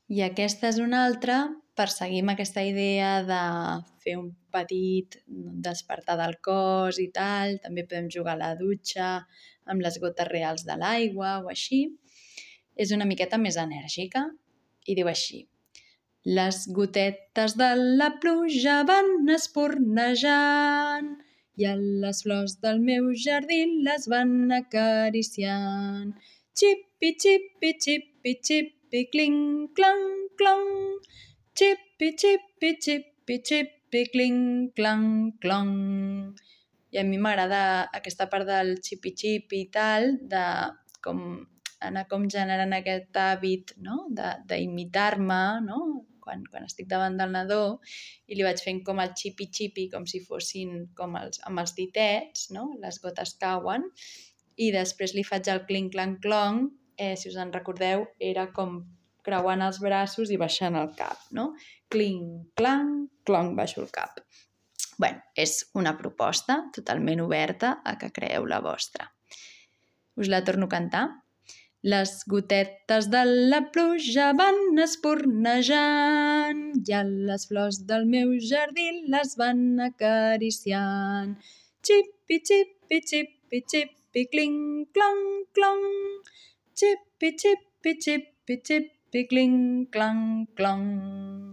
I aquesta és una altra, perseguim aquesta idea de fer un petit despertar del cos i tal, també podem jugar a la dutxa amb les gotes reals de l'aigua o així. És una miqueta més enèrgica i diu així: les gotetes de la pluja van espurnejant i a les flors del meu jardí les van acariciant. Xipi, xipi, xipi, xipi, cling, clang, clong. Xipi, xipi, xipi, xipi, cling, clang, clong. I a mi m'agrada aquesta part del xipi-xipi i tal, de anar generant aquest hàbit, no? d'imitar-me, no? Quan estic davant del nadó, i li vaig fent com el xipi-xipi, com si fossin com amb els ditets, no? Les gotes cauen, i després li faig el cling-clang-clong, si us en recordeu, era com creuant els braços i baixant el cap, no? Cling-clang-clong, baixo el cap. Bé, és una proposta totalment oberta a que creeu la vostra. Us la torno a cantar. Les gotetes de la pluja van espurnejant i a les flors del meu jardí les van acariciant. Xipi, xipi, xipi, xipi, cling, clang, clong. Xipi, xipi, xipi, xipi, cling, clang, clong.